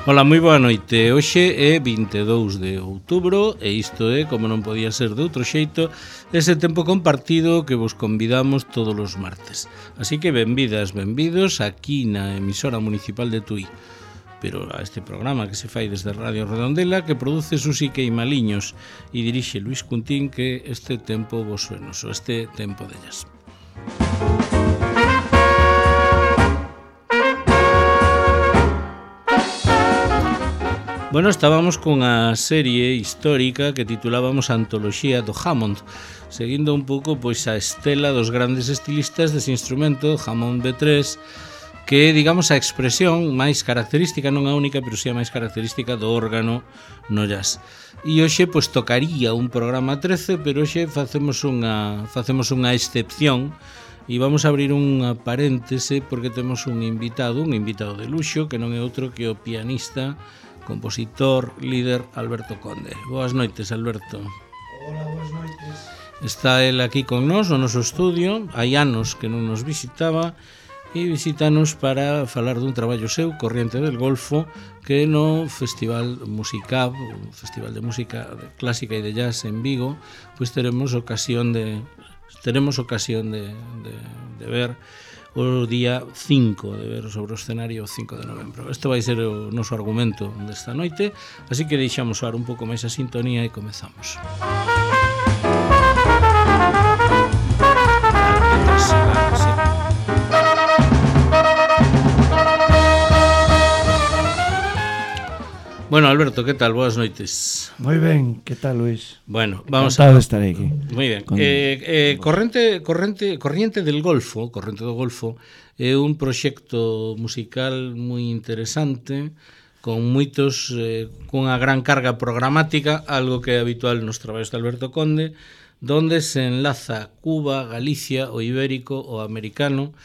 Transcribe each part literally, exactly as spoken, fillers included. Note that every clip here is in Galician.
Ola, moi boa noite. Hoxe é vinte e dous de outubro e isto é, como non podía ser de outro xeito, ese tempo compartido que vos convidamos todos os martes. Así que benvidas, benvidos aquí na emisora municipal de Tui, pero a este programa que se fai desde Radio Redondela, que produce Susi Queimaliños e dirixe Luis Cuntín, que este tempo vos suenos, o este tempo dellas. Bueno, estábamos cunha serie histórica que titulábamos Antoloxía do Hammond, seguindo un pouco pois a estela dos grandes estilistas dese instrumento, Hammond B tres, que é, digamos, a expresión máis característica, non a única, pero si a máis característica do órgano no jazz. E hoxe, pois, tocaría un programa trece, pero hoxe facemos unha, facemos unha excepción e vamos a abrir unha paréntese porque temos un invitado, un invitado de luxo, que non é outro que o pianista, compositor, líder Alberto Conde. Boas noites, Alberto. Hola, boas noites. Está el aquí con nós no noso estudio, hai anos que non nos visitaba e visítanos para falar dun traballo seu, Corriente del Golfo, que no Festival Musicab, o Festival de Música Clásica e de Jazz en Vigo, pois teremos ocasión de teremos ocasión de, de, de ver o día cinco, de ver sobre o escenario o cinco de novembro. Este vai ser o noso argumento desta noite, así que deixamos soar un pouco máis a sintonía e comezamos. Bueno, Alberto, ¿qué tal? Boas noites. Moi ben, que tal, Luis? Bueno, vamos Encantado a... de estar aquí. Moi ben. Con... Eh, eh, corrente, corrente, Corriente del Golfo, Corriente do Golfo, é un proxecto musical moi interesante, con moitos, eh, cunha gran carga programática, algo que é habitual nos traballos de Alberto Conde, donde se enlaza Cuba, Galicia, o ibérico, o americano.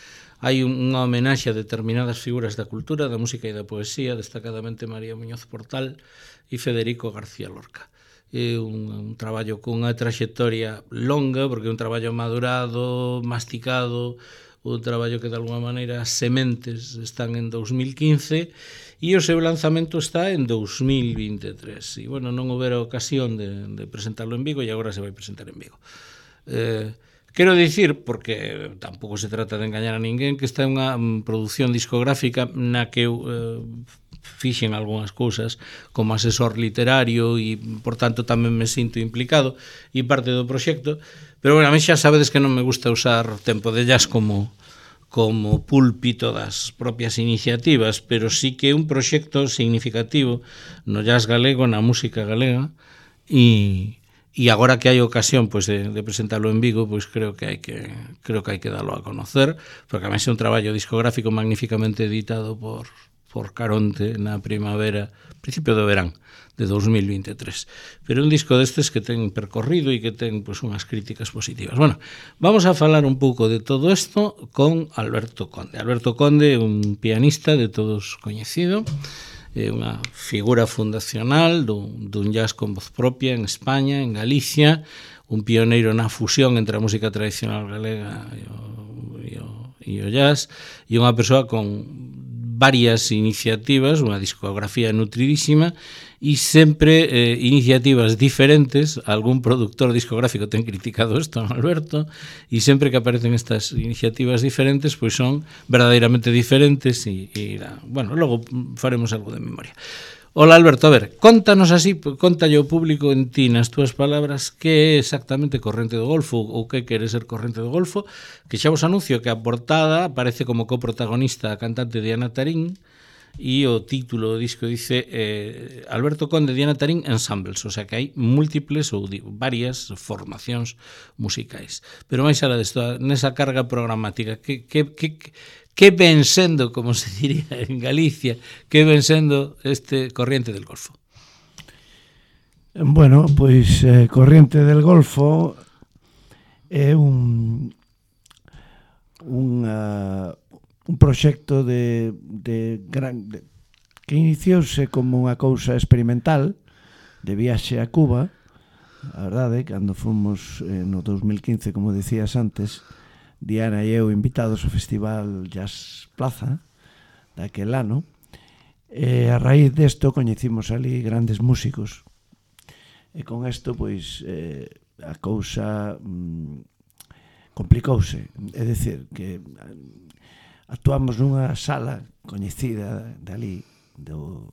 Hai unha homenaxe a determinadas figuras da cultura, da música e da poesía, destacadamente María Muñoz Portal e Federico García Lorca. É un, un traballo cunha traxectoria longa, porque é un traballo madurado, masticado, un traballo que de alguma maneira as sementes están en dos mil quince e o seu lanzamento está en dos mil vinte e tres. E, bueno, non houbera ocasión de, de presentarlo en Vigo e agora se vai presentar en Vigo. Eh, Quero dicir, porque tampouco se trata de engañar a ninguén, que esta é unha produción discográfica na que eu eh, fixen algunhas cousas como asesor literario e, por tanto, tamén me sinto implicado e parte do proxecto, pero, bueno, a mí xa sabedes que non me gusta usar tempo de jazz como como púlpito das propias iniciativas, pero sí que é un proxecto significativo no jazz galego, na música galega, e E agora que hai ocasión pois, de, de presentarlo en Vigo, pois creo que hai que creo que hai que darlo a conocer, porque a máis é un traballo discográfico magníficamente editado por, por Caronte na primavera, principio do verán de dos mil vinte e tres. Pero un disco destes que ten percorrido e que ten pois, unhas críticas positivas. Bueno, vamos a falar un pouco de todo isto con Alberto Conde. Alberto Conde é un pianista de todos coñecido, é unha figura fundacional dun, dun jazz con voz propia en España, en Galicia, un pioneiro na fusión entre a música tradicional galega e o, e o, e o jazz, e unha persoa con varias iniciativas, unha discografía nutridísima e sempre eh, iniciativas diferentes. Algún productor discográfico ten criticado isto, Alberto, e sempre que aparecen estas iniciativas diferentes, pois son verdadeiramente diferentes e, e bueno, logo faremos algo de memoria. Hola, Alberto, a ver, contanos así, contalle ao público en ti, nas túas palabras, que é exactamente Corriente do Golfo ou que quere ser Corriente do Golfo, que xa vos anuncio que a portada aparece como coprotagonista a cantante Diana Tarín e o título do disco dice eh, Alberto Conde, Diana Tarín Ensembles, o sea que hai múltiples ou varias formacións musicais. Pero máis alá desto, nesa carga programática, que, que, que, que ven sendo, como se diría en Galicia, que ven sendo este Corriente del Golfo? Bueno, pois eh, Corriente del Golfo é un un, uh, un proxecto de, de gran de, que iniciouse como unha cousa experimental de viaxe a Cuba, a verdade, cando fomos eh, no dos mil quince, como decías antes, Diana e eu invitados ao Festival Jazz Plaza daquel ano, E a raíz desto coñecimos ali grandes músicos. E con isto, pois, eh, a cousa mm, complicouse. É dicir, que actuamos nunha sala coñecida de ali, do,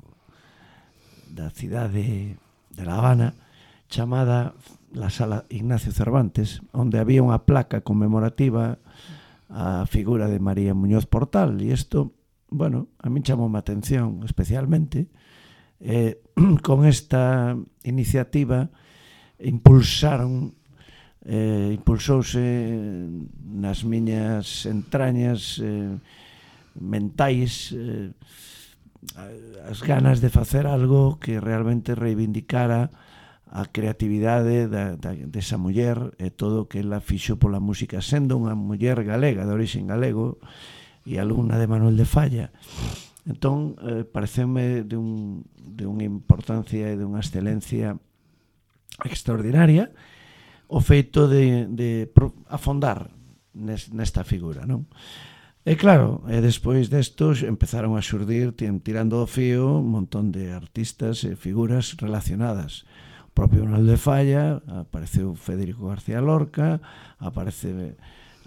da cidade de La Habana, chamada la Sala Ignacio Cervantes, onde había unha placa conmemorativa a figura de María Muñoz Portal. E isto, bueno, a min chamou a atención especialmente. Eh, con esta iniciativa impulsaron eh, impulsouse nas miñas entrañas eh, mentais eh, as ganas de facer algo que realmente reivindicara a creatividade da, da, desa muller e todo o que ela fixo pola música, sendo unha muller galega, de origen galego e alumna de Manuel de Falla. Entón, eh, pareceme de, un, de unha importancia e de unha excelencia extraordinaria o feito de, de afondar nes, nesta figura, non? E claro, e despois destos empezaron a xurdir, tirando do fío, un montón de artistas e figuras relacionadas. O propio Manuel de Falla, apareceu Federico García Lorca, aparece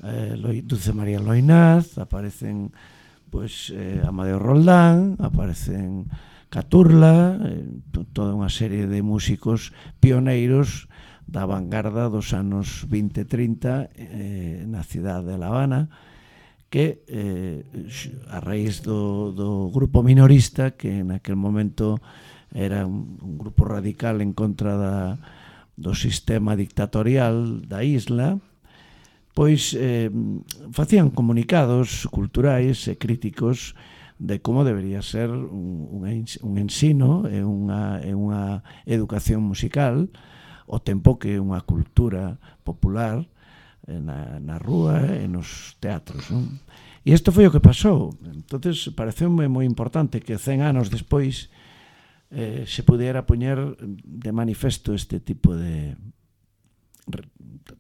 eh, Dulce María Loinaz, aparecen pois, eh, Amadeo Roldán, aparecen Caturla, eh, toda unha serie de músicos pioneiros da vanguarda dos anos vinte e trinta eh, na cidade de La Habana, que eh, a raíz do, do grupo minorista, que naquel momento era un, un grupo radical en contra da, do sistema dictatorial da isla, pois eh, facían comunicados culturais e críticos de como debería ser un, un ensino e unha, e unha educación musical, o tempo que unha cultura popular na, na rúa e nos teatros, non? E isto foi o que pasou. Entonces pareceume moi importante que cen anos despois eh, se pudiera poñer de manifesto este tipo de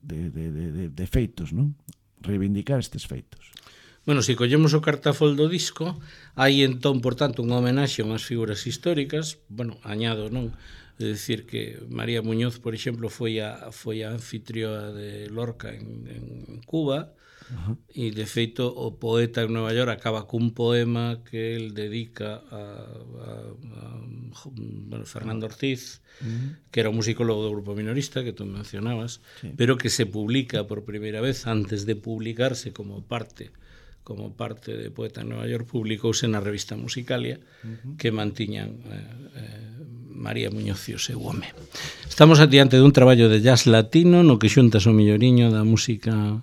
de, de, de, de feitos, non? Reivindicar estes feitos. Bueno, se collemos o cartafol do disco, hai entón, por tanto, unha homenaxe a unhas figuras históricas, bueno, añado, non? É dicir que María Muñoz, por exemplo, foi a, foi a anfitrioa de Lorca en, en Cuba, uh-huh. E de feito o poeta en Nueva York acaba cun poema que el dedica a, a, a bueno, Fernando Ortiz, uh-huh. que era un musicólogo do grupo minorista que tú mencionabas, sí. Pero que se publica por primeira vez antes de publicarse como parte como parte de Poeta en Nueva York, publicouse na revista Musicalia, uh-huh. que mantiñan eh, eh, María Muñoz e o seu home. Estamos adiante dun traballo de jazz latino no que xuntas o milloriño da música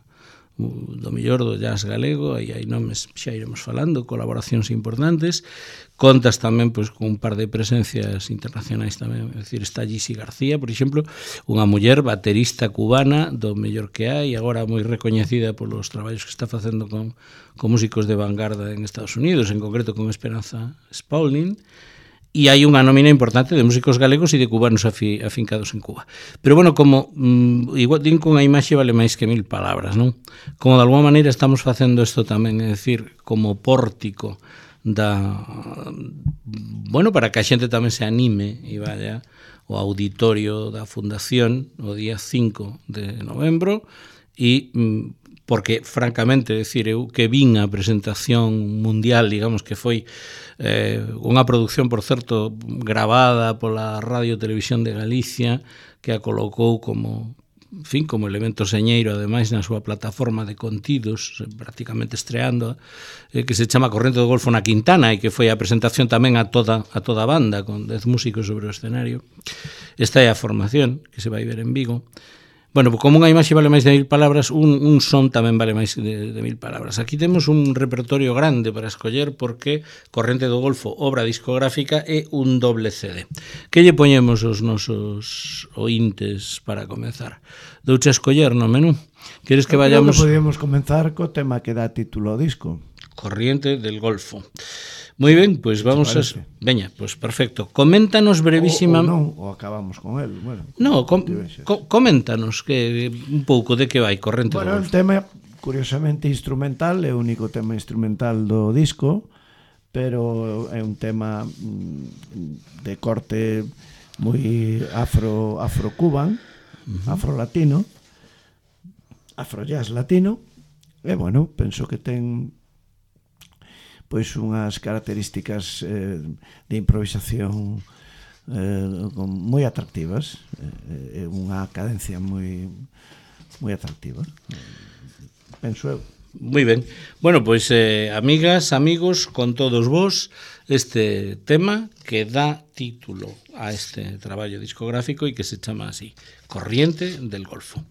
do millor do jazz galego, aí hai nomes, xa iremos falando, colaboracións importantes, contas tamén pois, con un par de presencias internacionais tamén, é dicir, está Gissi García, por exemplo, unha muller baterista cubana do mellor que hai, agora moi recoñecida polos traballos que está facendo con, con músicos de vanguarda en Estados Unidos, en concreto con Esperanza Spalding, e hai unha nómina importante de músicos galegos e de cubanos afi, afincados en Cuba. Pero, bueno, como mm, igual din con a imaxe vale máis que mil palabras, non? Como de alguma maneira estamos facendo isto tamén, é dicir, como pórtico da... Bueno, para que a xente tamén se anime e vaya ao auditorio da Fundación o día cinco de novembro e... Mm, porque, francamente, decir, eu que vin a presentación mundial, digamos que foi eh, unha produción, por certo, gravada pola Radio Televisión de Galicia, que a colocou como, en fin, como elemento señeiro, ademais, na súa plataforma de contidos, prácticamente estreando, eh, que se chama Corrente do Golfo na Quintana, e que foi a presentación tamén a toda a toda a banda, con dez músicos sobre o escenario. Esta é a formación, que se vai ver en Vigo. Bueno, como unha imaxe vale máis de mil palabras, un, un son tamén vale máis de, de mil palabras. Aquí temos un repertorio grande para escoller porque Corrente do Golfo, obra discográfica e un doble C D. Que lle poñemos os nosos ointes para comenzar? Douche a escoller no menú? Queres que vayamos... Creo que podíamos comenzar co tema que dá título ao disco. Corriente del Golfo. Moi ben, pois vamos a... Veña, pois perfecto. Coméntanos brevísima... O, o non, ou acabamos con el. Bueno, no, com, co, coméntanos que un pouco de que vai Corrente bueno, do Golfo. Bueno, o tema, curiosamente, instrumental, é o único tema instrumental do disco, pero é un tema mm, de corte moi afro afro-cuban, uh-huh. afro-latino, afro-jazz latino, e, bueno, penso que ten pois unhas características eh, de improvisación eh, moi atractivas, é eh, unha cadencia moi moi atractiva, penso eu. Moi ben. Bueno, pois, eh, amigas, amigos, con todos vos, este tema que dá título a este traballo discográfico e que se chama así, Corriente del Golfo.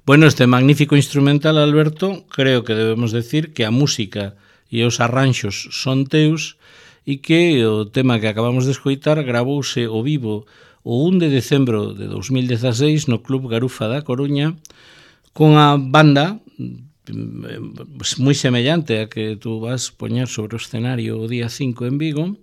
Bueno, este magnífico instrumental, Alberto, creo que debemos decir que a música e os arranxos son teus e que o tema que acabamos de escoitar gravouse ao vivo o un de decembro de dos mil dezaseis no Club Garufa da Coruña con a banda moi semellante a que tú vas poñer sobre o escenario o día cinco en Vigo,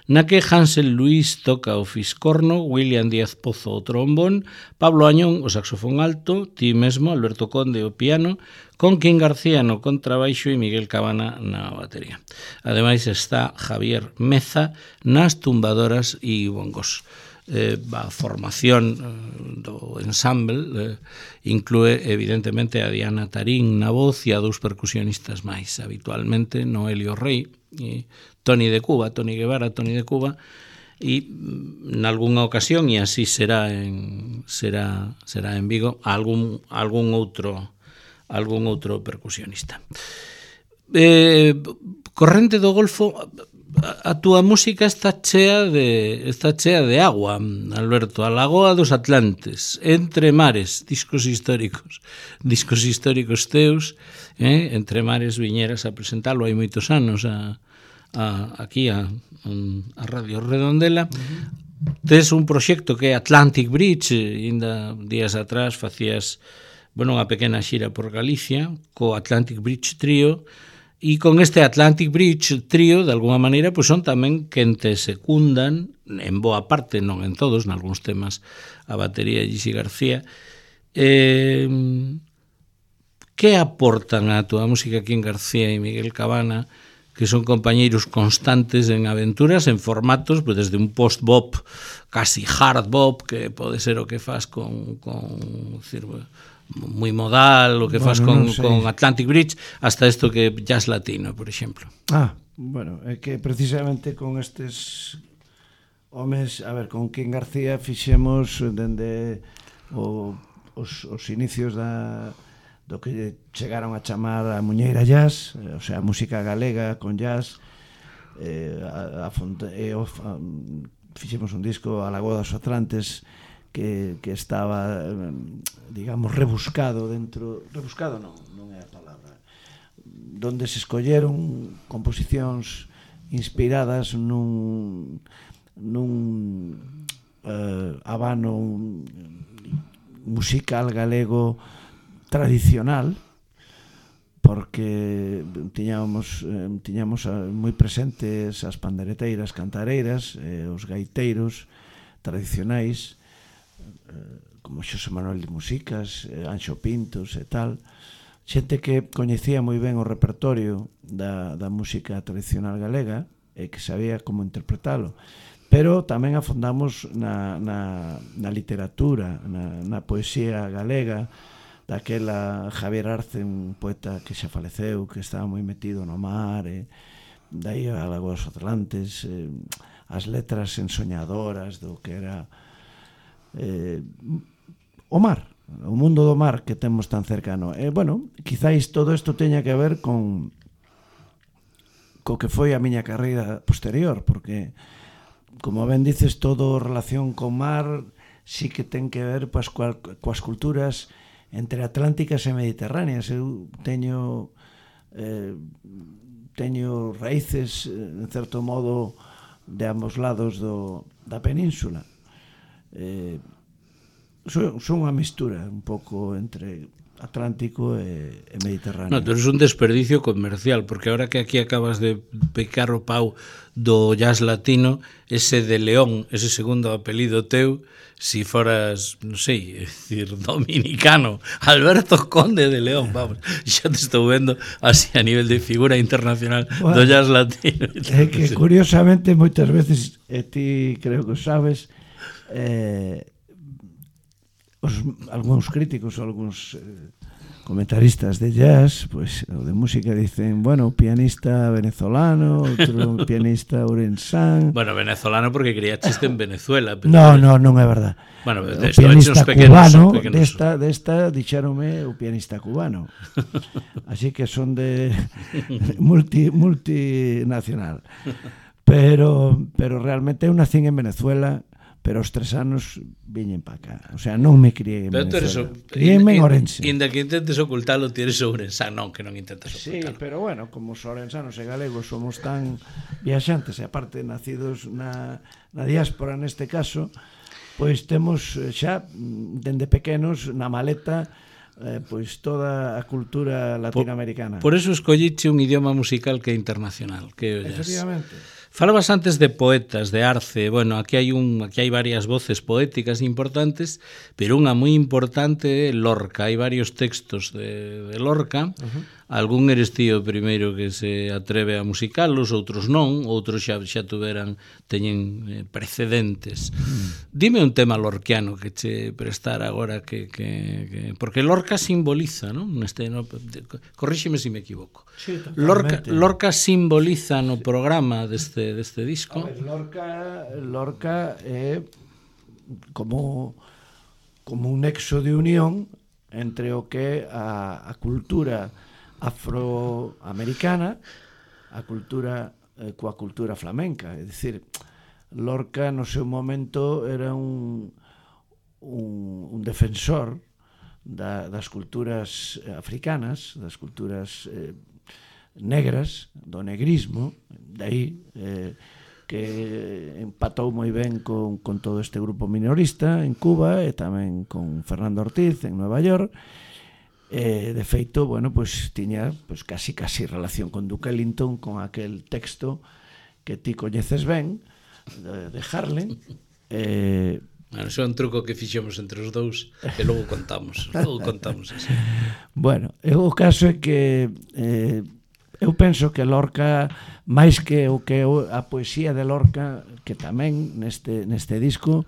na que Hansel Luis toca o fiscorno, William Díaz Pozo o trombón, Pablo Añón o saxofón alto, ti mesmo, Alberto Conde o piano, con Quim García no contrabaixo e Miguel Cabana na batería. Ademais está Javier Meza nas tumbadoras e bongos. Eh, a formación eh, do ensamble eh, inclúe evidentemente a Diana Tarín na voz e a dous percusionistas máis habitualmente, Noelio Rey e Toni de Cuba, Toni Guevara, Toni de Cuba, e nalgúnha ocasión, e así será en será será en Vigo, algún algún outro algún outro percusionista. Eh, Corrente do Golfo, a túa música está chea de está chea de agua, Alberto, a Lagoa dos Atlantes, Entre Mares, discos históricos, discos históricos teus, eh? Entre Mares viñeras a presentalo hai moitos anos a, a aquí a, a Radio Redondela. Uh-huh. Tes un proxecto que é Atlantic Bridge, ainda días atrás facías, bueno, unha pequena xira por Galicia co Atlantic Bridge Trio. E con este Atlantic Bridge Trio, de alguma maneira, pois son tamén quen te secundan, en boa parte, non en todos, nalgúns temas, a batería de Gisi García. Eh, que aportan a túa música Quim García e Miguel Cabana, que son compañeiros constantes en aventuras, en formatos, pois desde un post-bop, casi hard-bop, que pode ser o que faz con... con decir, moi modal, o que bueno, faz con, no con Atlantic Bridge, hasta isto que jazz latino, por exemplo. Ah, bueno, é que precisamente con estes homes, a ver, con Quim García fixemos dende o, os, os inicios da, do que chegaron a chamar a Muñeira Jazz, o sea, música galega con jazz, eh, a, a, fonte, e, o, a, fixemos un disco a Lagoa dos Atlantes que, que estaba, digamos, rebuscado dentro... Rebuscado non, non é a palabra. Donde se escolleron composicións inspiradas nun, nun uh, habano musical galego tradicional, porque tiñamos, eh, tiñamos moi presentes as pandereteiras, cantareiras, eh, os gaiteiros tradicionais, como Xosé Manuel de Musicas, Anxo Pintos e tal, xente que coñecía moi ben o repertorio da, da música tradicional galega e que sabía como interpretalo, pero tamén afondamos na, na, na literatura, na, na poesía galega, daquela Javier Arce, un poeta que xa faleceu, que estaba moi metido no mar, e dai a Lagoa dos Atlantes, eh, as letras ensoñadoras do que era Eh, o mar, o mundo do mar que temos tan cercano. E, eh, bueno, quizáis todo isto teña que ver con co que foi a miña carreira posterior, porque, como ben dices, todo relación con mar sí que ten que ver pues, coas, coas culturas entre atlánticas e mediterráneas. Eu teño eh, teño raíces, en certo modo, de ambos lados do, da península. Eh, son, son unha mistura un pouco entre Atlántico e, e Mediterráneo. No, pero é un desperdicio comercial, porque ahora que aquí acabas de picar o pau do jazz latino, ese de León, ese segundo apelido teu, si foras, non sei, é dicir, dominicano, Alberto Conde de León, vamos, xa te estou vendo así a nivel de figura internacional bueno, do jazz latino. É que curiosamente moitas veces, e ti creo que sabes, eh, os, algúns críticos, algúns eh, comentaristas de jazz, pues, ou de música, dicen, bueno, pianista venezolano, outro pianista ourensán. Bueno, venezolano porque quería chiste en Venezuela. Pero no, no, non é verdad. Bueno, o pianista pequenos, cubano, pequenos. desta, desta dixéronme o pianista cubano. Así que son de multi, multinacional. Pero, pero realmente eu nacín en Venezuela pero aos tres anos viñen para cá. O sea, non me criei en Pero tú eres Venezuela. o- Criéme en in- Orense. Inda que intentes ocultalo, ti eres ourensán, non, que non intentes Sí, ocultalo. pero bueno, como os orensanos e galegos somos tan viaxantes, e aparte nacidos na, na diáspora neste caso, pois temos eh, xa, mm, dende pequenos, na maleta, eh, pois toda a cultura latinoamericana. Por eso escolliche un idioma musical que é internacional, que é o jazz. Efectivamente. Falabas antes de poetas, de Arce. Bueno, aquí hai un aquí hai varias voces poéticas importantes, pero unha moi importante é Lorca. Hai varios textos de, de Lorca. Uh-huh. Algún eres ti o primeiro que se atreve a musicalos, outros non, outros xa xa tuveran teñen eh, precedentes. Uh-huh. Dime un tema lorquiano que che prestar agora que, que, que porque Lorca simboliza, non? Neste no, corríxeme se me equivoco. Sí, Lorca, Lorca simboliza no programa deste deste disco. A ver, Lorca, Lorca é como como un nexo de unión entre o que é a, a cultura afroamericana, a cultura eh, coa cultura flamenca, é dicir, Lorca no seu momento era un un, un defensor da, das culturas africanas, das culturas eh, negras, do negrismo, dai eh, que empatou moi ben con, con todo este grupo minorista en Cuba e tamén con Fernando Ortiz en Nueva York. Eh, de feito, bueno, pues tiña pues, casi casi relación con Duke Ellington, con aquel texto que ti coñeces ben de, de Harlem. Eh, Bueno, iso é un truco que fixemos entre os dous e logo contamos, logo contamos así. Bueno, o caso é que eh, eu penso que Lorca, máis que o que a poesía de Lorca, que tamén neste, neste disco,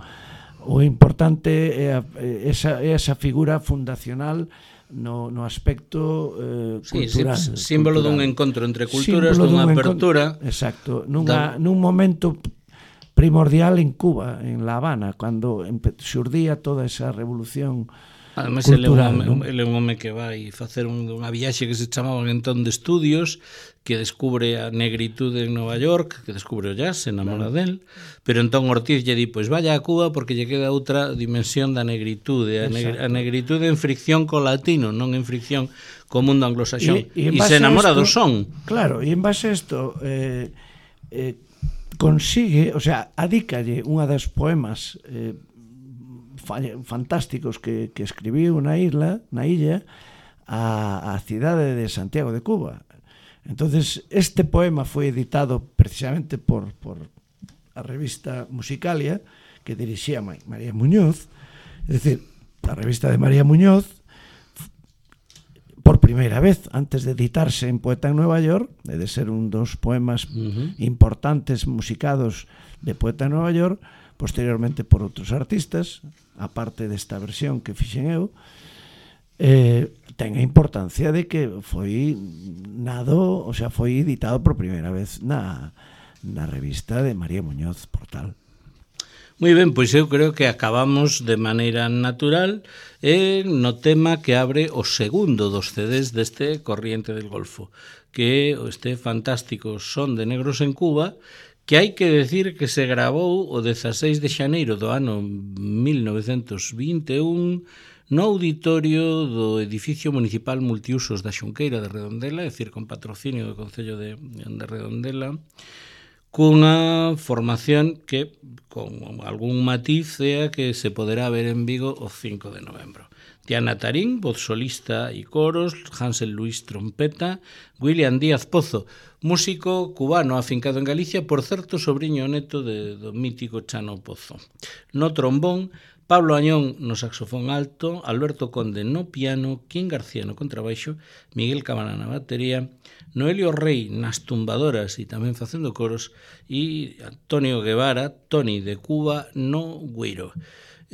o importante é a, esa, esa figura fundacional no, no aspecto eh, sí, cultural. Sí, símbolo cultural. dun encontro entre culturas, Símbolo dunha dun apertura. Encont... Exacto, nunha, nun momento primordial en Cuba, en La Habana, cando xurdía toda esa revolución Ademais, cultural. Ele é un, ele é un home que vai facer un, unha viaxe que se chamaba entón de estudios, que descubre a negritude en Nova York, que descubre o jazz, se enamora claro. del, pero entón Ortiz lle di, pois vaya a Cuba porque lle queda outra dimensión da negritude, a, negr a negritude en fricción co latino, non en fricción co mundo anglosaxón, e, e, e se enamora esto, do son. Claro, e en base a isto eh, eh, consigue, o sea, adícalle unha das poemas eh, fantásticos que, que escribiu na isla, na illa, a, a cidade de Santiago de Cuba. Entonces, este poema foi editado precisamente por, por a revista Musicalia, que dirixía María Muñoz, é dicir, a revista de María Muñoz, por primeira vez, antes de editarse en Poeta en Nueva York, de ser un dos poemas uh-huh. importantes musicados de Poeta en Nueva York, posteriormente por outros artistas, aparte desta versión que fixen eu, eh, ten a importancia de que foi nado, o sea, foi editado por primeira vez na, na revista de María Muñoz Portal. Moi ben, pois eu creo que acabamos de maneira natural eh, no tema que abre o segundo dos C Ds deste Corriente del Golfo, que é este fantástico Son de Negros en Cuba, que hai que decir que se gravou o dezaseis de xaneiro do ano mil novecentos vinte e un no auditorio do edificio municipal multiusos da Xunqueira de Redondela, é dicir, con patrocinio do Concello de, de Redondela, cunha formación que, con algún matiz, é a que se poderá ver en Vigo o cinco de novembro. Diana Tarín, voz solista e coros, Hansel Luis trompeta, William Díaz Pozo, músico cubano afincado en Galicia, por certo sobriño neto de, do mítico Chano Pozo. No trombón, Pablo Añón no saxofón alto, Alberto Conde no piano, Quín García no contrabaixo, Miguel Cabana na batería, Noelio Rey nas tumbadoras e tamén facendo coros, e Antonio Guevara, Toni de Cuba no güiro.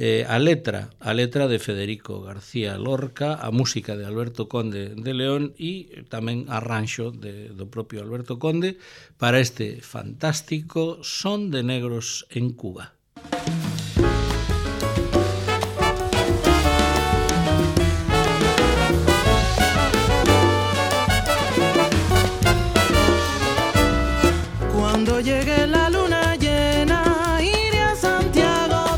Eh, a letra, a letra de Federico García Lorca, a música de Alberto Conde de León e tamén arranxo de, do propio Alberto Conde para este fantástico Son de Negros en Cuba. Cuando llegue la luna llena, iré a Santiago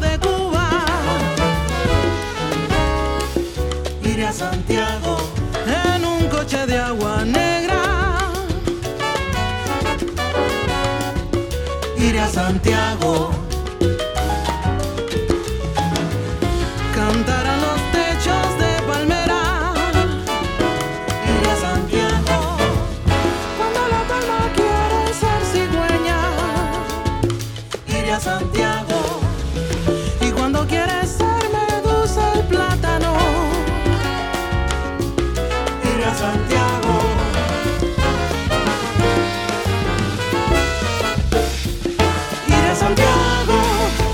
Santiago. Cantarán los techos de palmera. Iré a Santiago. Cuando la palma quiere ser cigüeña. Iré a Santiago. Y cuando quiere ser medusa el plátano. Iré a Santiago. Iré a Santiago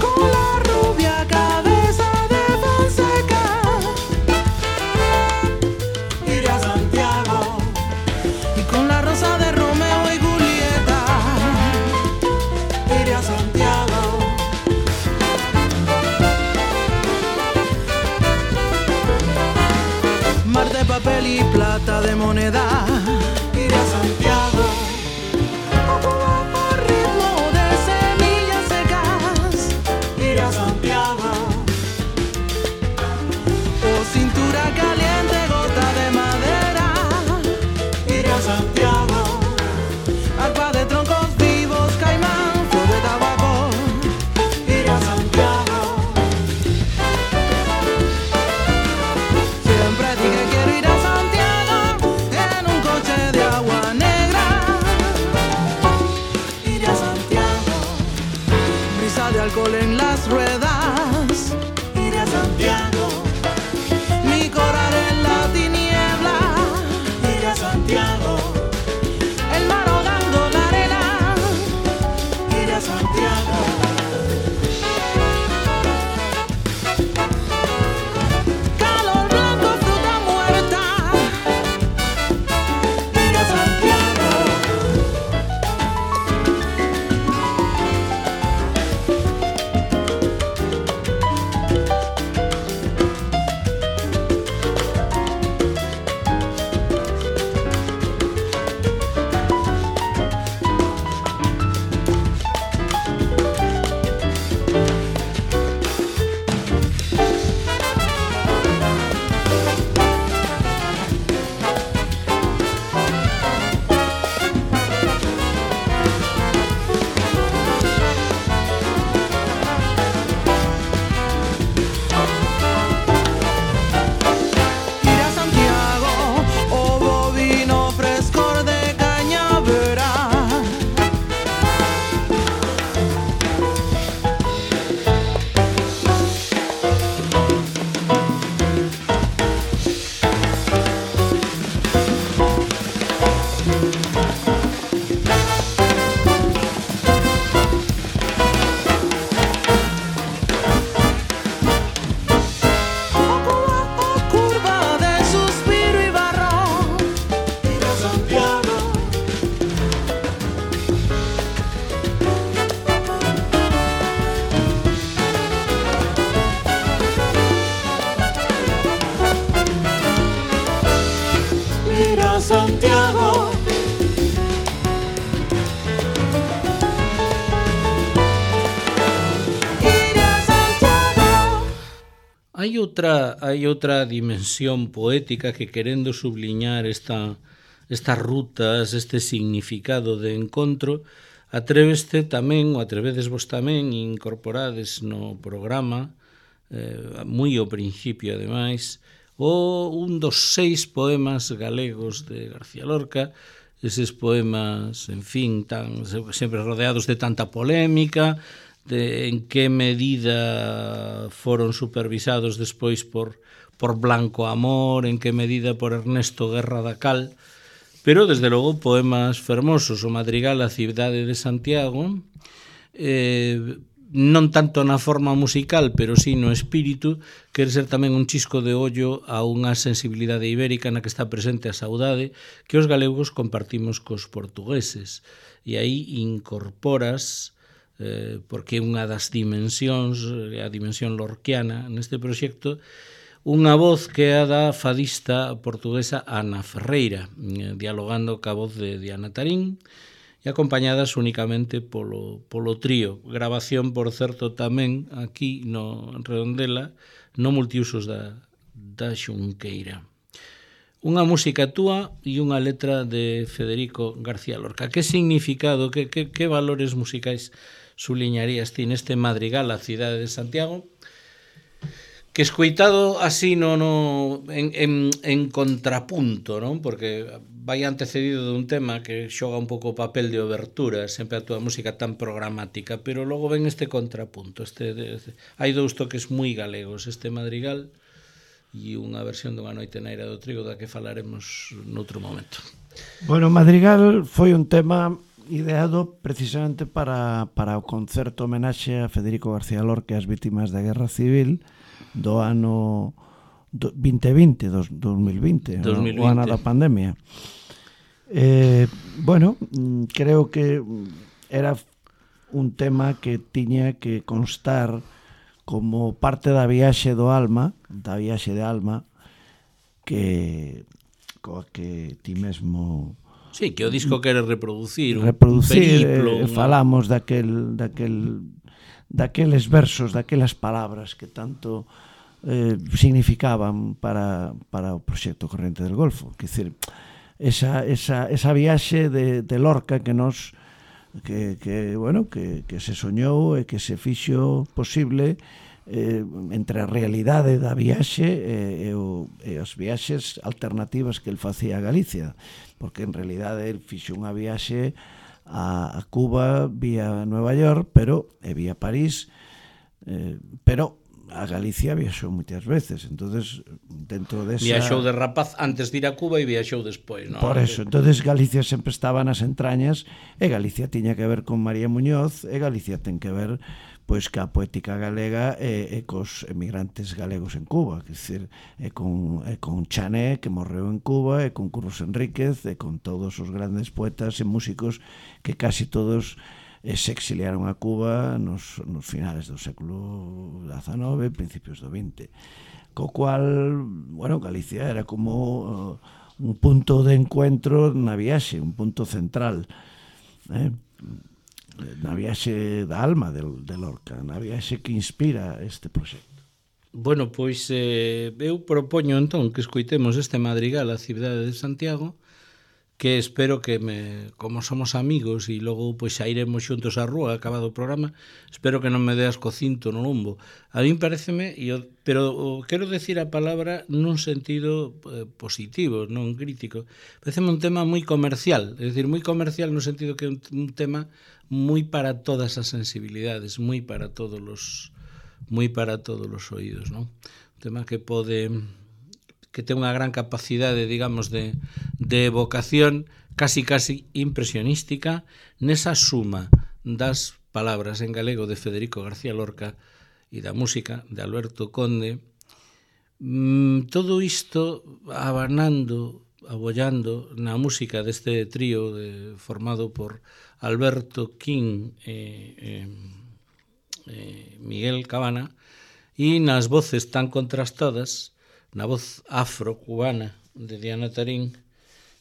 con la rubia cabeza de Fonseca. Iré a Santiago y con la rosa de Romeo y Julieta. Iré a Santiago. Mar de papel y plata de moneda. Iré a Santiago. O Cuba por ritmo de semillas secas. Iré a Santiago. O cintura caliente, gota de madera. Iré a Santiago. Arpa de troncos vivos, caimán, flor de tabaco. Iré a Santiago. Siempre dije quiero ir a Santiago en un coche de agua negra. Iré a Santiago. Brisa de alcohol en las ruedas. Iré a Santiago. Mi coral en la tiniebla. Iré a Santiago. El mar ahogando la arena. Iré a Santiago. Calor blanco, fruta muerta. Iré a Santiago. Iré a Santiago, o bovino frescor de cañavera. O Cuba, o curva de suspiro y barro. Iré a Santiago. Iré a Santiago. Iré a Santiago. Hai outra hai outra dimensión poética que, querendo subliñar esta estas rutas, este significado de encontro, atréveste tamén, ou atrevedes vos tamén, incorporades no programa, eh, moi ao principio, ademais, o un dos seis poemas galegos de García Lorca, eses poemas, en fin, tan sempre rodeados de tanta polémica, de en que medida foron supervisados despois por, por Blanco Amor, en que medida por Ernesto Guerra da Cal, pero, desde logo, poemas fermosos. O Madrigal a cidade de Santiago, eh, non tanto na forma musical, pero sí no espírito, quere ser tamén un chisco de ollo a unha sensibilidade ibérica na que está presente a saudade que os galegos compartimos cos portugueses. E aí incorporas, eh, porque é unha das dimensións, a dimensión lorquiana neste proxecto, unha voz que é a da fadista portuguesa Ana Ferreira, dialogando ca voz de Diana Tarín, e acompañadas únicamente polo, polo trío. Grabación, por certo, tamén aquí no Redondela, no multiusos da, da Xunqueira. Unha música túa e unha letra de Federico García Lorca. Que significado, que, que, que valores musicais suliñarías ti neste madrigal a cidade de Santiago, que escoitado así no, no en, en, en contrapunto, non? Porque vai antecedido dun tema que xoga un pouco o papel de obertura, sempre a túa música tan programática, pero logo ven este contrapunto. Este, este, hai dous toques moi galegos, este madrigal e unha versión dunha noite na Eira do Trigo da que falaremos noutro momento. Bueno, Madrigal foi un tema ideado precisamente para, para o concerto homenaxe a Federico García Lorca e as vítimas da Guerra Civil do ano vinte vinte, dos, dos mil vinte, dos mil vinte, o ano da pandemia. Eh, bueno, creo que era un tema que tiña que constar como parte da viaxe do alma, da viaxe de alma, que coa que ti mesmo... Sí, que o disco quere reproducir, reproducir, un periplo. Eh, falamos daquel, daquel, daqueles versos, daquelas palabras que tanto eh, significaban para, para o proxecto Corrente del Golfo. Quer dizer, esa, esa, esa viaxe de, de Lorca que nos... que, que, bueno, que, que se soñou e que se fixo posible eh, entre a realidade da viaxe e, e, o, e as viaxes alternativas que el facía a Galicia, porque en realidade el fixo unha viaxe a, a Cuba vía Nueva York, pero e vía París, eh, pero a Galicia viaxou moitas veces, entonces dentro desa... Viaxou de rapaz antes de ir a Cuba e viaxou despois, non? Por eso, entonces Galicia sempre estaba nas entrañas e Galicia tiña que ver con María Muñoz e Galicia ten que ver pois ca poética galega e, e cos emigrantes galegos en Cuba, que decir, e con, e con Chané, que morreu en Cuba, e con Curros Enríquez, e con todos os grandes poetas e músicos que casi todos e se exiliaron a Cuba nos, nos finales do século dezanove, principios do vinte. Co cual, bueno, Galicia era como uh, un punto de encuentro na viaxe, un punto central, eh? na viaxe da alma de, de Lorca, na viaxe que inspira este proxecto. Bueno, pois eh, eu propoño entón que escoitemos este madrigal a cidade de Santiago, que espero que me, como somos amigos e logo pois xa iremos xuntos á rúa acabado o programa, espero que non me deas co cinto no lombo. A min pareceme, eu, pero quero decir a palabra nun sentido eh, positivo, non crítico. Pareceme un tema moi comercial, é dicir, moi comercial no sentido que é un, un tema moi para todas as sensibilidades, moi para todos os moi para todos os oídos, non? Un tema que pode que ten unha gran capacidade, digamos, de, de evocación casi casi impresionística nesa suma das palabras en galego de Federico García Lorca e da música de Alberto Conde. Mm, todo isto abanando, abollando na música deste trío de, formado por Alberto King e eh, eh, Miguel Cabana, e nas voces tan contrastadas, na voz afro-cubana de Diana Tarín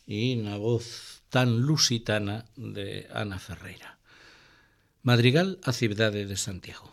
e na voz tan lusitana de Ana Ferreira. Madrigal a cidade de Santiago.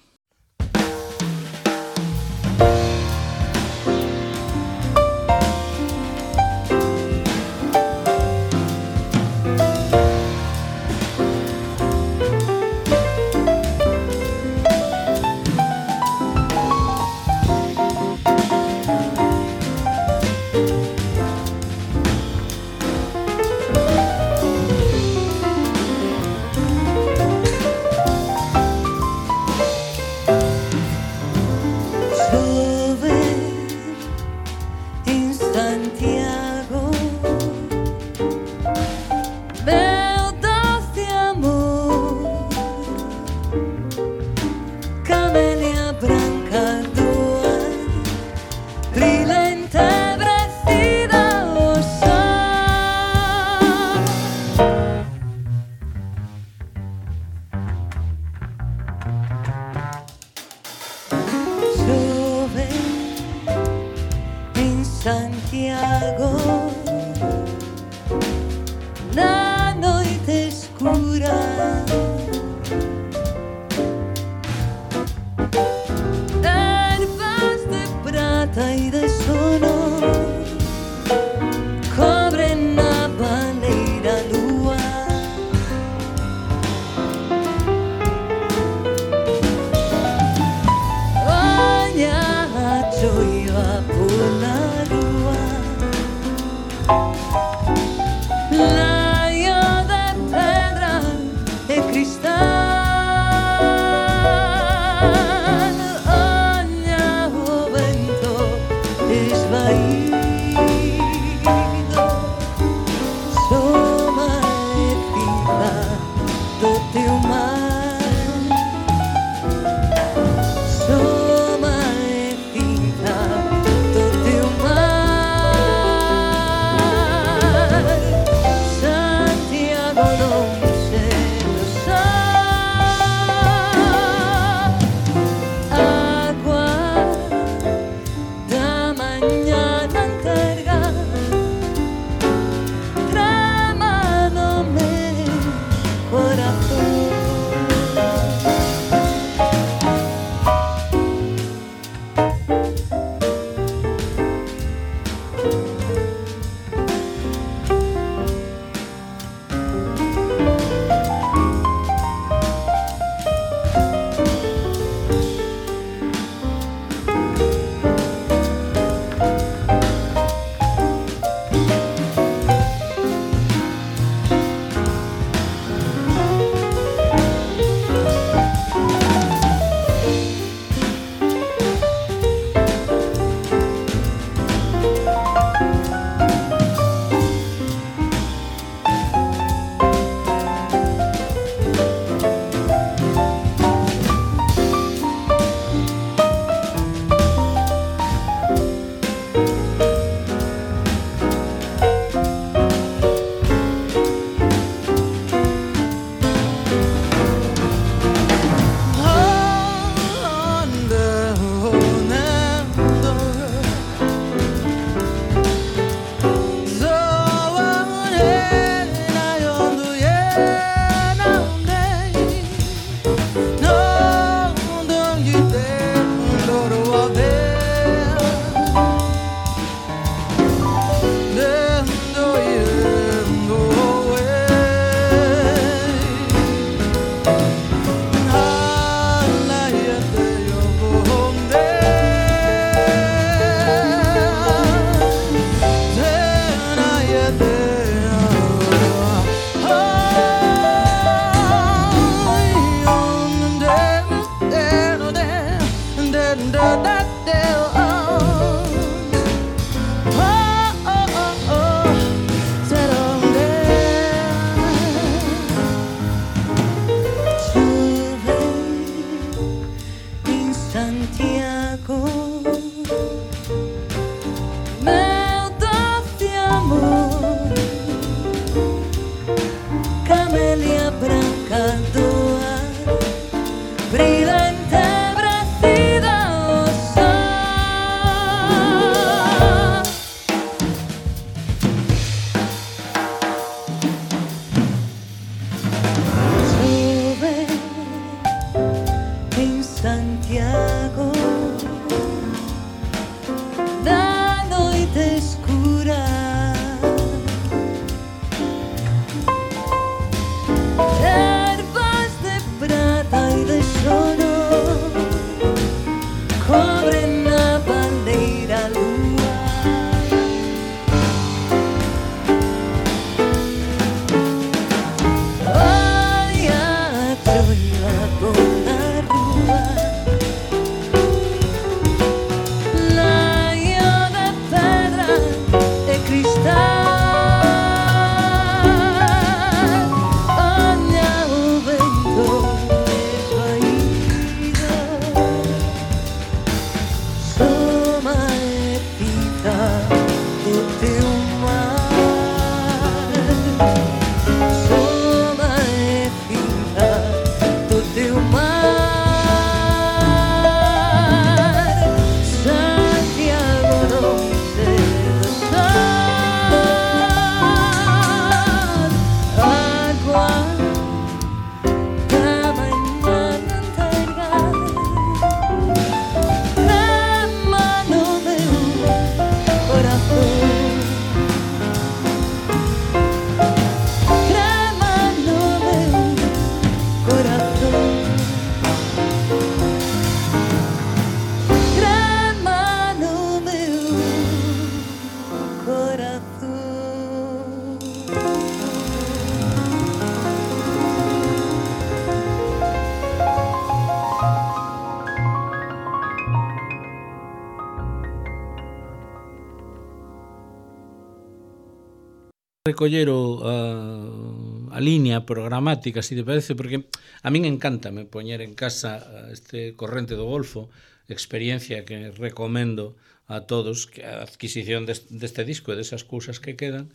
recoller o, a, a línea programática, se te parece, porque a min encántame poñer en casa este Corrente do Golfo, experiencia que recomendo a todos, que a adquisición deste, deste disco e desas cousas que quedan,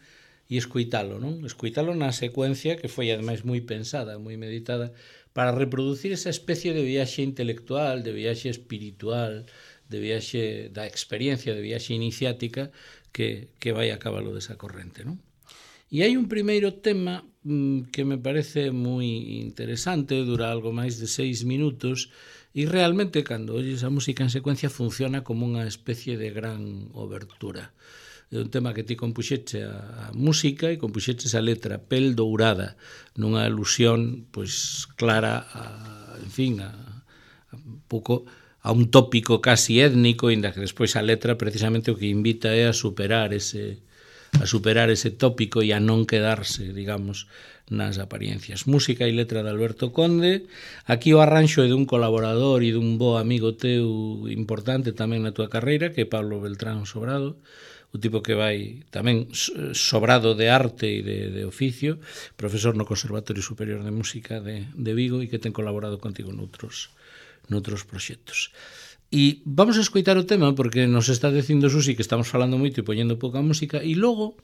e escuitalo, non? Escuitalo na secuencia que foi ademais moi pensada, moi meditada, para reproducir esa especie de viaxe intelectual, de viaxe espiritual, de viaxe da experiencia, de viaxe iniciática que, que vai a cabalo desa corrente, non? E hai un primeiro tema mmm, que me parece moi interesante, dura algo máis de seis minutos, e realmente, cando oyes a música en secuencia, funciona como unha especie de gran obertura. É un tema que ti compuxeche a, a música e compuxeches a letra, Pel Dourada, nunha alusión pois clara a, en fin, a, a un pouco a un tópico casi étnico, inda que despois a letra precisamente o que invita é a superar ese a superar ese tópico e a non quedarse, digamos, nas apariencias. Música e letra de Alberto Conde. Aquí o arranxo é dun colaborador e dun bo amigo teu importante tamén na túa carreira, que é Pablo Beltrán Sobrado, o tipo que vai tamén sobrado de arte e de, de oficio, profesor no Conservatorio Superior de Música de, de Vigo e que ten colaborado contigo noutros, noutros proxectos. E vamos a escoitar o tema porque nos está dicindo Susi que estamos falando moito e poñendo pouca música, e logo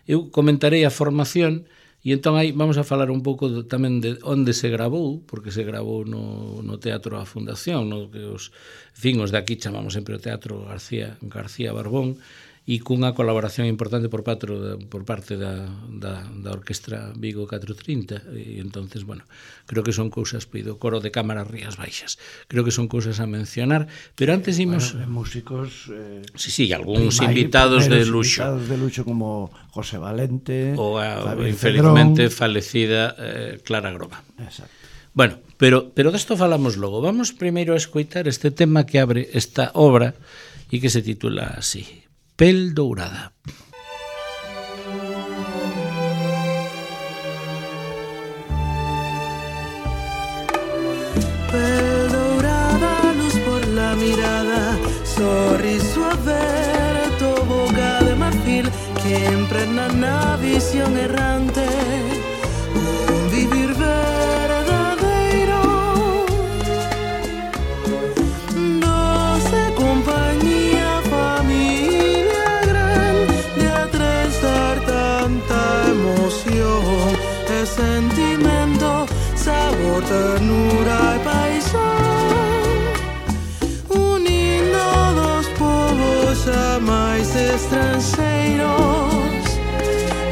eu comentarei a formación e entón aí vamos a falar un pouco de, tamén de onde se gravou, porque se gravou no, no Teatro a Fundación, no que os, en fin, os de aquí chamamos sempre o Teatro García, García Barbón, e cunha colaboración importante por patro da, por parte da, da, da Orquestra Vigo catrocentos trinta, e entonces, bueno, creo que son cousas, pido, coro de cámaras Rías Baixas, creo que son cousas a mencionar, pero antes imos... Bueno, músicos... Eh, sí, sí, algúns invitados de luxo. Invitados de luxo como José Valente, ou a, Javier infelizmente, Cedrón. falecida eh, Clara Groma. Exacto. Bueno, pero, pero desto falamos logo. Vamos primeiro a escoitar este tema que abre esta obra e que se titula así, Pel Dourada. Pel dourada, luz por la mirada, sorriso aberto, boca de marfil, que impregna na visión errante, un vivir verdadeiro, doce compañía, familia gran, de atravesar tanta emoción, e sentimento, sabor, ternura y paixón, unindo dos povos jamais estranxeiros,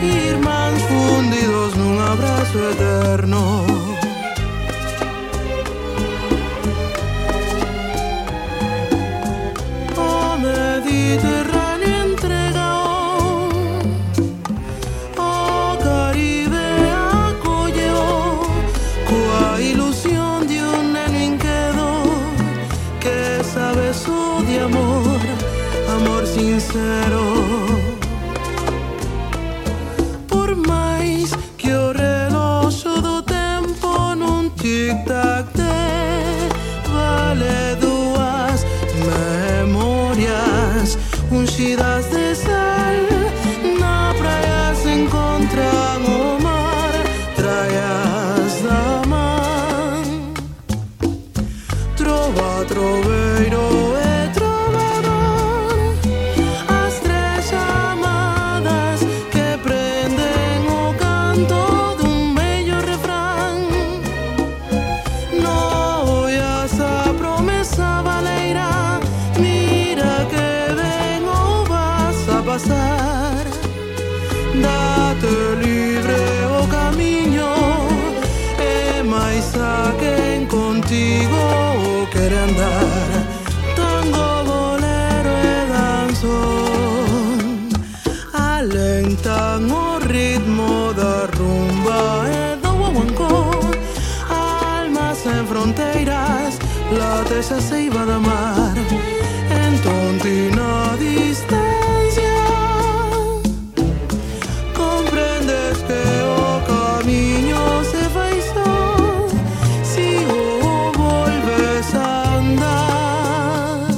irmáns fundidos nun abrazo eterno. O Mediterráneo entregao, o Caribe acolleu, coa ilusión de un neno inquedo que sabe su de amor, amor sincero. Por máis que o reloxo do tempo nun tic-tac de vale dúas memorias unxidas de sal, na praia se encontran o mar, traias da man, trova, troveiro e trovador, as tres chamadas que prenden o canto dun bello refrán. No oias a promesa valeira, mira que ben o vas a pasar, date libre o camiño, e máis a quen contigo o quere andar, tango, bolero e danzón, alentan o ritmo da rumba e do guaguancó, almas en fronteiras, late xa se iba da mar, entón ti na distancia comprendes que o camiño se fai só si o volves a andar.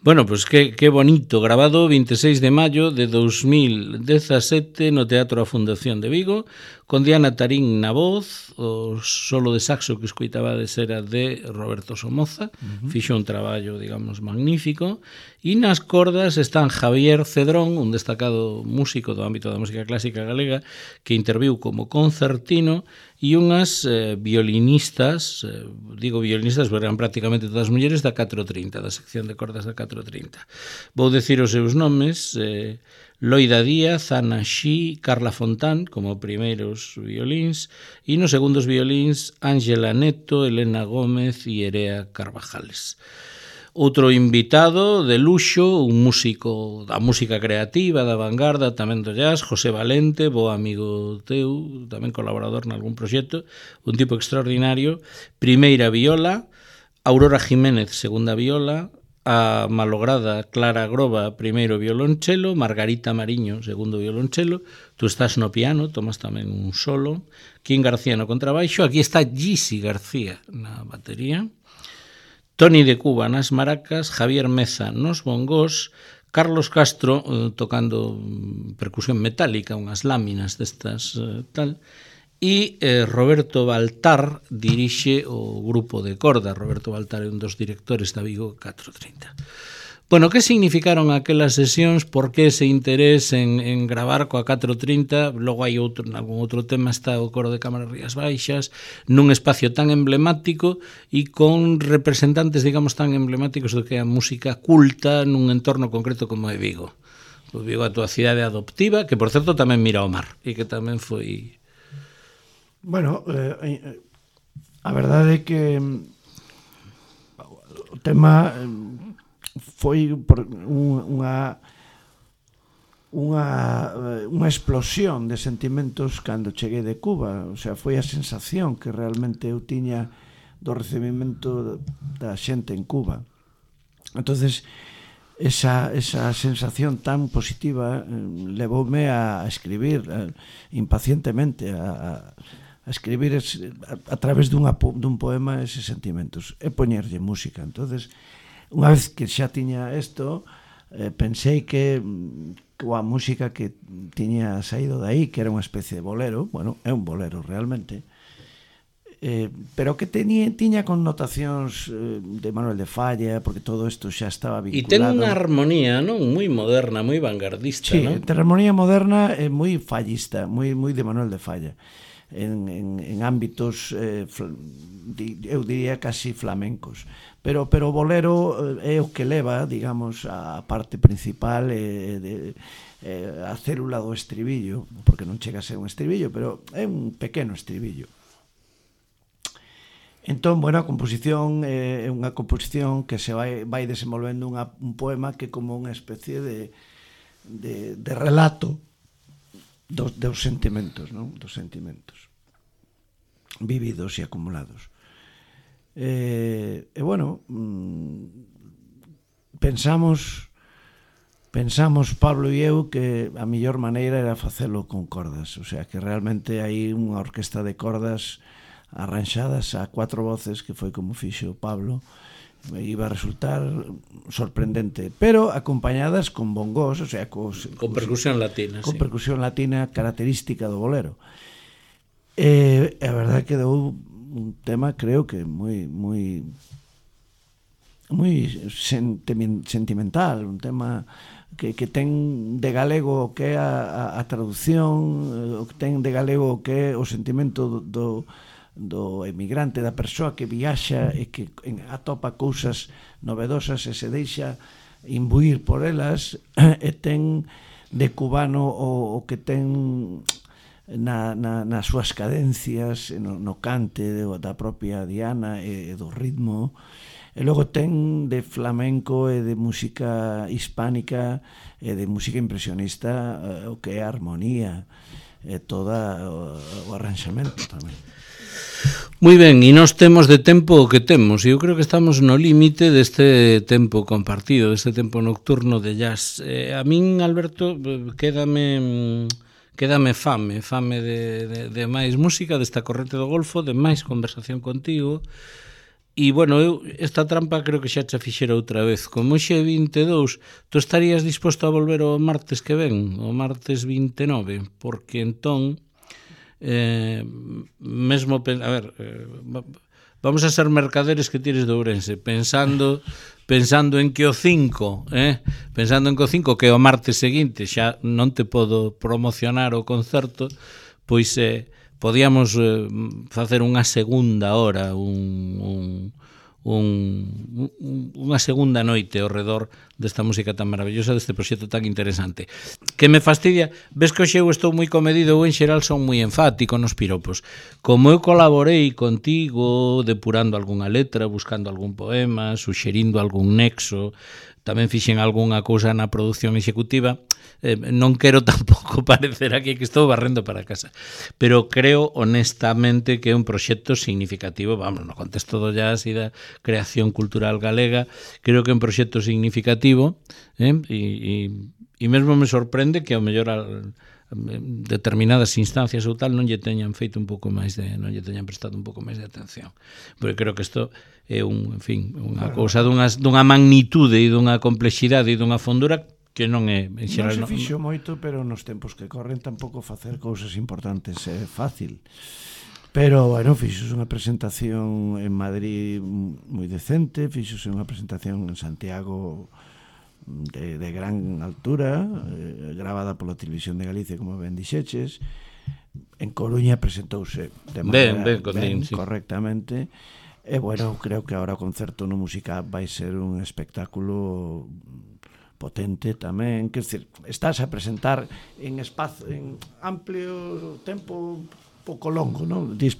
Bueno, pois pues que, que bonito, grabado vinte e seis de maio de dos mil dezasete no Teatro A Fundación de Vigo, con Diana Tarín na voz, o solo de saxo que escoitabades era de Roberto Somoza, uh-huh. Fixo un traballo, digamos, magnífico, e nas cordas están Javier Cedrón, un destacado músico do ámbito da música clásica galega, que interviu como concertino, e unhas eh, violinistas, eh, digo violinistas, porque eran prácticamente todas mulleres, da catro trinta, da sección de cordas da catro trinta. Vou decir os seus nomes, eh, Loida Díaz, Ana Xí, Carla Fontán, como primeiros violíns, e nos segundos violíns, Ángela Neto, Elena Gómez e Erea Carvajales. Outro invitado de luxo, un músico da música creativa, da vanguarda, tamén do jazz, José Valente, bo amigo teu, tamén colaborador nalgún proxecto, un tipo extraordinario. Primeira viola, Aurora Jiménez, segunda viola, a malograda Clara Groba, primeiro violonchelo, Margarita Mariño, segundo violonchelo, tú estás no piano, tomas tamén un solo, Quín García no contrabaixo, aquí está Gisi García na batería, Toni de Cuba nas maracas, Javier Meza nos bongós, Carlos Castro eh, tocando percusión metálica, unhas láminas destas eh, tal, e eh, Roberto Baltar dirixe o grupo de corda. Roberto Baltar é un dos directores da Vigo catro trinta. Bueno, que significaron aquelas sesións? Por que ese interés en, en gravar coa catro trinta? Logo hai outro, en algún outro tema está o coro de Cámara Rías Baixas, nun espacio tan emblemático e con representantes, digamos, tan emblemáticos do que é a música culta nun entorno concreto como é Vigo. O Vigo é a túa cidade adoptiva, que por certo tamén mira ao mar e que tamén foi... Bueno, eh, a verdade é que o tema... foi por unha unha unha explosión de sentimentos cando cheguei de Cuba, o sea, foi a sensación que realmente eu tiña do recibimento da xente en Cuba. Entonces, esa, esa sensación tan positiva eh, levoume a escribir eh, impacientemente a, a escribir es, a, a través dunha, dun poema eses sentimentos e poñerlle música. Entonces, unha vez que xa tiña isto, eh, pensei que coa música que tiña saído de aí, que era unha especie de bolero, bueno, é un bolero realmente, eh, pero que tenía, tiña connotacións eh, de Manuel de Falla, porque todo isto xa estaba vinculado. E ten unha armonía, non, moi moderna, moi vanguardista, sí, non? Sí, ten armonía moderna e moi fallista, moi moi de Manuel de Falla. En, en, en ámbitos eh, fl, di, eu diría casi flamencos, pero pero o bolero é o que leva, digamos, a parte principal eh, de, eh, a célula do estribillo, porque non chega a ser un estribillo, pero é un pequeno estribillo. Entón, bueno, a composición é eh, unha composición que se vai, vai desenvolvendo unha, un poema que é como unha especie de, de, de relato dos, dos sentimentos, non? Dos sentimentos vividos e acumulados. E, e bueno, pensamos pensamos Pablo e eu que a mellor maneira era facelo con cordas, o sea, que realmente hai unha orquesta de cordas arranxadas a cuatro voces, que foi como fixo Pablo, iba a resultar sorprendente, pero acompañadas con bongos, o sea, cos, con percusión latina, con sí. percusión latina característica do bolero. E a verdade que deu un tema, creo que moi moi moi sentimental, un tema que, que ten de galego o que é a, a traducción, o que ten de galego o que é o sentimento do, do emigrante, da persoa que viaxa e que atopa cousas novedosas e se deixa imbuir por elas, e ten de cubano o, o que ten na, na, nas súas cadencias, no, no cante da propia Diana e, e do ritmo, e logo ten de flamenco e de música hispánica e de música impresionista o que é a armonía e toda o, o arranxamento tamén. Moi ben, e nós temos de tempo o que temos, e eu creo que estamos no límite deste tempo compartido, deste tempo nocturno de jazz. Eh, a min, Alberto, quédame quédame fame, fame de, de, de máis música, desta corrente do Golfo, de máis conversación contigo, E, bueno, eu esta trampa creo que xa xa fixera outra vez. Como xe vinte e dous, tú estarías disposto a volver o martes que ven, o martes vinte e nove, porque entón, eh, mesmo, a ver, eh, vamos a ser mercaderes que tires de Ourense, pensando pensando en que o cinco, eh, pensando en que o cinco, que o martes seguinte xa non te podo promocionar o concerto, pois eh, podíamos eh, facer unha segunda hora, un, un, un, un, unha segunda noite ao redor desta música tan maravillosa, deste proxecto tan interesante. Que me fastidia, ves que hoxe eu estou moi comedido, ou en xeral son moi enfático nos piropos. Como eu colaborei contigo, depurando algunha letra, buscando algún poema, suxerindo algún nexo, tamén fixen algunha cousa na produción executiva, eh, non quero tampouco parecer aquí que estou barrendo para casa, pero creo honestamente que é un proxecto significativo, vamos, no contexto do jazz e da creación cultural galega, creo que é un proxecto significativo, eh, e, e, e mesmo me sorprende que ao mellor al, determinadas instancias ou tal non lle teñan feito un pouco máis de, non lle teñan prestado un pouco máis de atención, porque creo que isto é un, en fin, unha cousa dunha, dunha magnitude e dunha complexidade e dunha fondura que non é en xeral, non se fixo non... moito, pero nos tempos que corren tampouco facer cousas importantes é fácil. Pero, bueno, fixose unha presentación en Madrid moi decente, fixose unha presentación en Santiago de, de gran altura, eh, gravada pola Televisión de Galicia, como ben dixeches. En Coruña presentouse de maneira ben, ben, ben, sí. correctamente. E, bueno, creo que agora o concerto no Musica vai ser un espectáculo potente tamén, quer dizer, estás a presentar en espazo, en amplio tempo, pouco longo, non? Dis,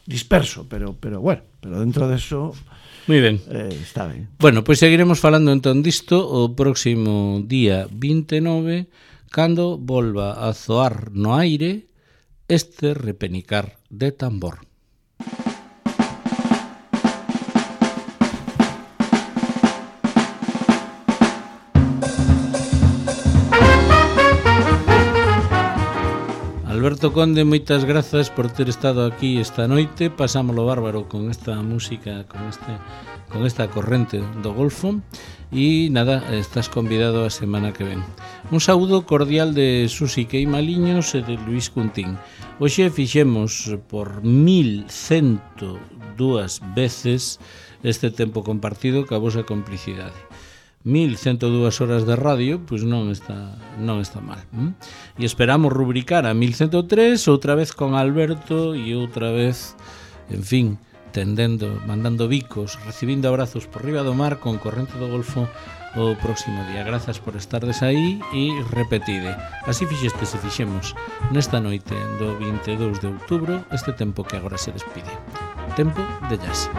disperso, pero pero bueno, pero dentro de eso moi ben. Eh, está ben. Bueno, pois seguiremos falando entón disto o próximo día vinte e nove, cando volva a zoar no aire este repenicar de tambor. Alberto Conde, moitas grazas por ter estado aquí esta noite. Pasámolo bárbaro con esta música, con este con esta corrente do Golfo. E nada, estás convidado a semana que ven. Un saúdo cordial de Susi Queimaliños e de Luis Cuntín. Hoxe fixemos por mil cento dúas veces este tempo compartido ca vosa complicidade. mil cento dúas horas de radio, pois non está non está mal. ¿Mm? E esperamos rubricar a mil cento tres outra vez con Alberto e outra vez, en fin, tendendo, mandando bicos, recibindo abrazos por riba do mar con Corrente do Golfo o próximo día. Grazas por estardes aí e repetide. Así fixeste se fixemos nesta noite do vinte e dous de outubro este tempo que agora se despide. Tempo de jazz.